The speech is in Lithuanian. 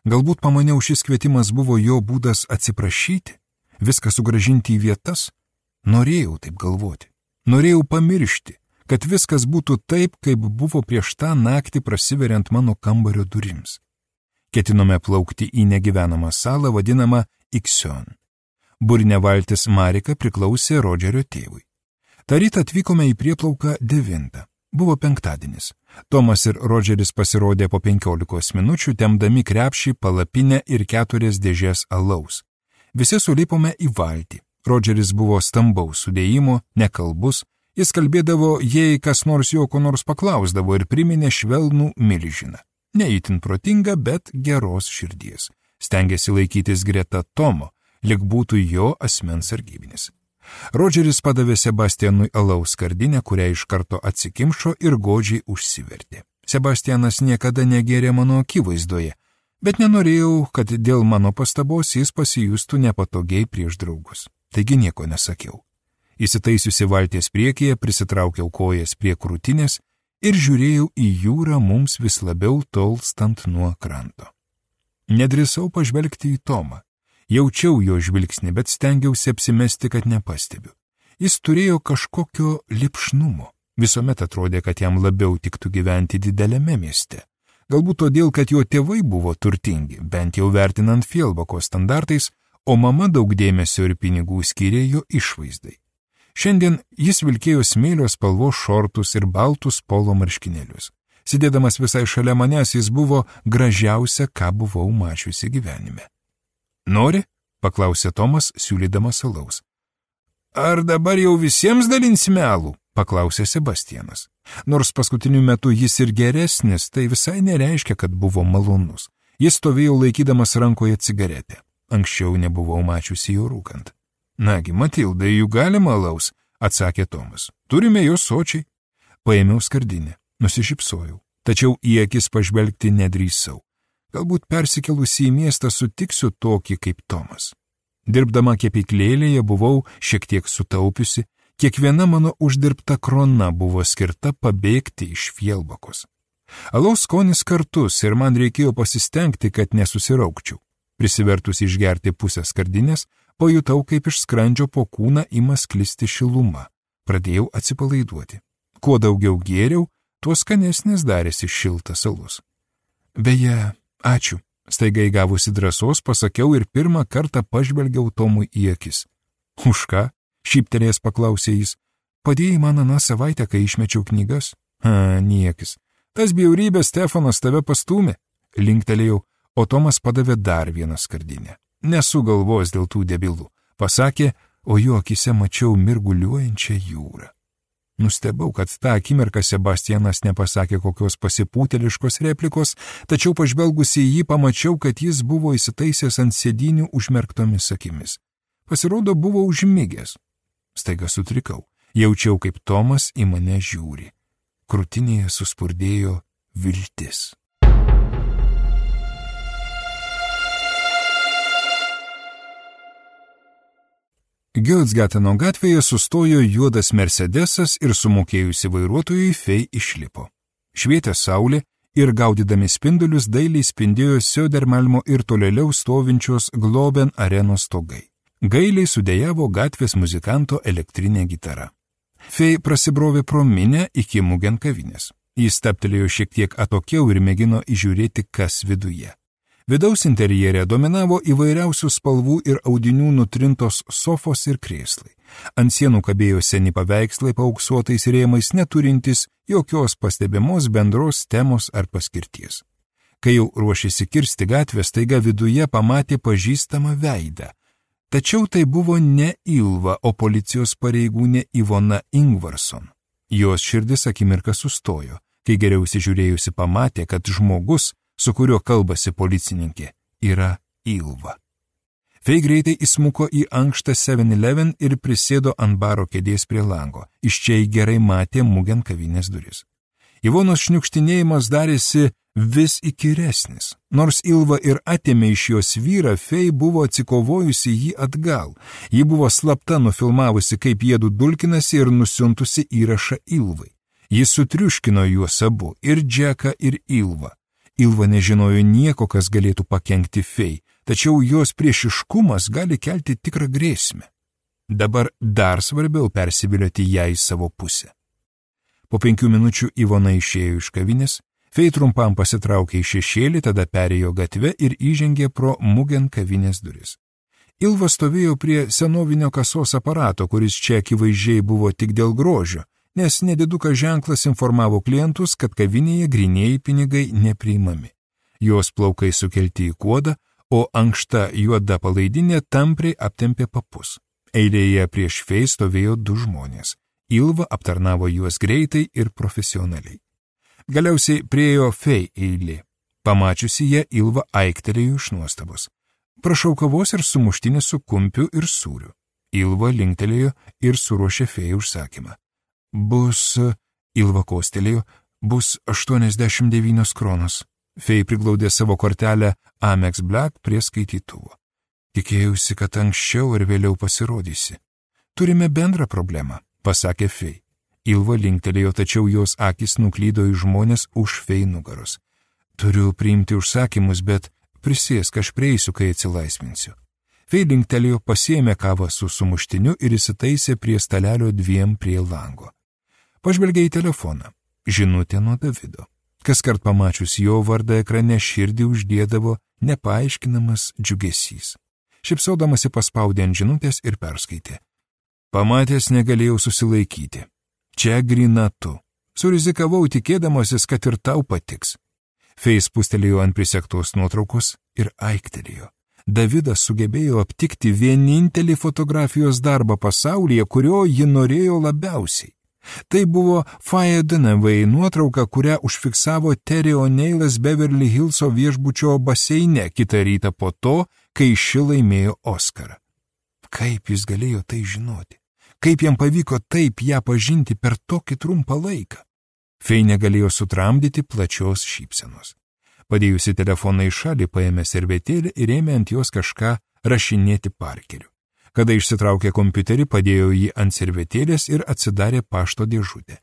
Galbūt pamaniau, šis kvietimas buvo jo būdas atsiprašyti, viską sugrąžinti į vietas. Norėjau taip galvoti. Norėjau pamiršti, kad viskas būtų taip, kaip buvo prieš tą naktį prasiveriant mano kambario durims. Ketinome plaukti į negyvenamą salą vadinamą Ixion. Burinė valtis Marika priklausė Rodžerio tėvui. Ta rytą atvykome į prieplauką 9. Buvo penktadienis. Tomas ir Rodžeris pasirodė po 15 minučių, tempdami krepšį, palapinę ir 4 dėžės alaus. Visi sulipome į valtį. Rodžeris buvo stambaus sudėjimo, nekalbus. Jis kalbėdavo, jei kas nors jo ko nors paklausdavo ir priminė švelnų milžiną. Neįtin protinga, bet geros širdies. Stengėsi laikytis greta Tomo, lyg būtų jo asmens sargybinis. Rodžeris padavė Sebastianui alaus skardinę, kurią iš karto atsikimšo ir godžiai užsivertė. Sebastianas niekada negėrė mano akivaizdoje, bet nenorėjau, kad dėl mano pastabos jis pasijustų nepatogiai prieš draugus. Taigi nieko nesakiau. Įsitaisiusi valties priekyje, prisitraukiau kojas prie krūtinės ir žiūrėjau į jūrą mums vis labiau tolstant nuo kranto. Nedrįsau pažvelgti į Tomą. Jaučiau jo žvilgsnį, bet stengiausi apsimesti, kad nepastebiu. Jis turėjo kažkokio lipšnumo. Visuomet atrodė, kad jam labiau tiktų gyventi dideliame mieste. Galbūt todėl, kad jo tėvai buvo turtingi, bent jau vertinant Fjellbako standartais, o mama daug dėmesio ir pinigų skyrė jo išvaizdai. Šiandien jis vilkėjo smėlio spalvos šortus ir baltus polo marškinėlius. Sėdėdamas visai šalia manęs, jis buvo gražiausia, ką buvau mačiusi gyvenime. Nori? Paklausė Tomas, siūlydamas alaus. Ar dabar jau visiems dalinsime alų? Paklausė Sebastianas. Nors paskutiniu metu jis ir geresnis, tai visai nereiškia, kad buvo malonus. Jis stovėjo laikydamas rankoje cigaretę. Anksčiau nebuvau mačiusi jo rūkant. Nagi, Matildai, jų galima alaus, atsakė Tomas. Turime jo sočiai. Paėmiau skardinę, nusišypsojau, tačiau į akis pažvelgti nedrįsau. Galbūt persikėlusi į miestą sutiksiu tokį kaip Tomas. Dirbdama kepyklėlėje buvau šiek tiek sutaupiusi, kiekviena mano uždirbta krona buvo skirta pabėgti iš Fjellbakos. Alaus skonis kartus ir man reikėjo pasistengti, kad nesusiraukčiau. Prisivertus išgerti pusę skardinės, pajutau, kaip iš skrandžio po kūną ima sklisti šiluma. Pradėjau atsipalaiduoti. Kuo daugiau gėriau, tuo skanesnis darėsi šiltas alus. Beje, ačiū. Staiga įgavusi drąsos pasakiau ir pirmą kartą pažvelgiau Tomui į akis. Už ką? Šyptelėjęs paklausė jis. Padėjai man aną savaitę, kai išmečiau knygas? Niekis. Tas bjaurybės Stefanas tave pastūmė. Linktelėjau, o Tomas padavė dar vieną skardinę. Nesu galvos dėl tų debilų. Pasakė, o jo akise mačiau mirguliuojančią jūrą. Nustebau, kad tą akimirką Sebastianas nepasakė kokios pasipūteliškos replikos, tačiau pažvelgusi į jį pamačiau, kad jis buvo įsitaisęs ant sėdynių užmerktomis akimis. Pasirodo, buvo užmigęs. Staiga sutrikau. Jaučiau, kaip Tomas į mane žiūri. Krūtinėje suspurdėjo viltis. Gölsgateno gatvėje sustojo juodas Mercedesas ir sumokėjusi vairuotojui Fei išlipo. Švietė saulė ir gaudydami spindulius dailiai spindėjo Södermalmo ir tolėliau stovinčios Globen arenos stogai. Gailiai sudėjavo gatvės muzikanto elektrinė gitara. Fei prasibrovė pro minę iki Mugen kavinės. Jis staptelėjo šiek tiek atokiau ir mėgino įžiūrėti, kas viduje. Vidaus interjere dominavo įvairiausių spalvų ir audinių nutrintos sofos ir krėslai. Ant sienų kabėjo seni paveikslai paauksuotais rėmais, neturintys jokios pastebimos bendros temos ar paskirties. Kai jau ruošėsi kirsti gatvę, staiga viduje pamatė pažįstamą veidą. Tačiau tai buvo ne Ilva, o policijos pareigūnė Ivona Ingvarson. Jos širdis akimirką sustojo, kai geriau įsižiūrėjusi pamatė, kad žmogus, su kuriuo kalbasi policininkė, yra Ilva. Fei greitai įsmuko į ankštą 7-Eleven ir prisėdo ant baro kėdės prie lango. Iš čia į gerai matė Mugen kavinės duris. Ivonos šniukštinėjimas darėsi vis įkyresnis. Nors Ilva ir atėmė iš jos vyrą, Fei buvo atsikovojusi jį atgal. Ji buvo slapta nufilmavusi, kaip jiedu dulkinasi ir nusiuntusi įrašą Ilvai. Jis sutriuškino juos abu, ir Džeką, ir Ilvą. Ilva nežinojo nieko, kas galėtų pakenkti Fei, tačiau jos priešiškumas gali kelti tikrą grėsmę. Dabar dar svarbiau persivilioti ją į savo pusę. Po 5 minučių Ivona išėjo iš kavinės, Fei trumpam pasitraukė į šešėlį, tada perėjo gatvę ir įžengė pro Mugen kavinės duris. Ilva stovėjo prie senovinio kasos aparato, kuris čia akivaizdžiai buvo tik dėl grožio, nes nedidukas ženklas informavo klientus, kad kavinėje grynieji pinigai nepriimami. Jos plaukai sukelti į kuodą, o ankšta juoda palaidinė tampriai aptempė papus. Eilėje prieš Fei stovėjo 2 žmonės. Ilva aptarnavo juos greitai ir profesionaliai. Galiausiai priejo Fei eilė. Pamačiusi ją, Ilva aiktelėjo iš nuostabos. Prašau kavos ir sumuštinį su kumpiu ir sūriu. Ilva linktelėjo ir suruošė Fei užsakymą. Ilva kostelėjo, bus 89 kronos. Fei priglaudė savo kortelę Amex Black prie skaitytuvo. Tikėjausi, kad anksčiau ir vėliau pasirodysi. Turime bendrą problemą, pasakė Fei. Ilva linktelėjo, tačiau jos akis nuklydo į žmonės už Fei nugaros. Turiu priimti užsakymus, bet prisėsk, aš prieisiu, kai atsilaisvinsiu. Fei linktelėjo, pasiėmė kavą su sumuštiniu ir įsitaisė prie stalelio 2 prie lango. Pažvelgė į telefoną. Žinutė nuo Davido. Kaskart pamačius jo vardą ekrane širdį uždėdavo nepaaiškinamas džiugesys. Šipsodamasi paspaudė ant žinutės ir perskaitė. Pamatęs negalėjau susilaikyti. Čia grina tu. Surizikavau tikėdamasis, kad ir tau patiks. Fei spustelėjo ant prisektos nuotraukos ir aiktelėjo. Davidas sugebėjo aptikti vienintelį fotografijos darbą pasaulyje, kurio ji norėjo labiausiai. Tai buvo Faye Dunaway nuotrauka, kurią užfiksavo Terry O'Neilas Beverly Hillso viešbučio baseine kitą rytą po to, kai ši laimėjo Oskarą. Kaip jis galėjo tai žinoti? Kaip jam pavyko taip ją pažinti per tokį trumpą laiką? Fei negalėjo sutramdyti plačios šypsenos. Padėjusi telefoną į šalį, paėmė servetėlį ir ėmė ant jos kažką rašinėti Parkeriu. Kada išsitraukė kompiuterį, padėjo jį ant servetėlės ir atsidarė pašto dėžutę.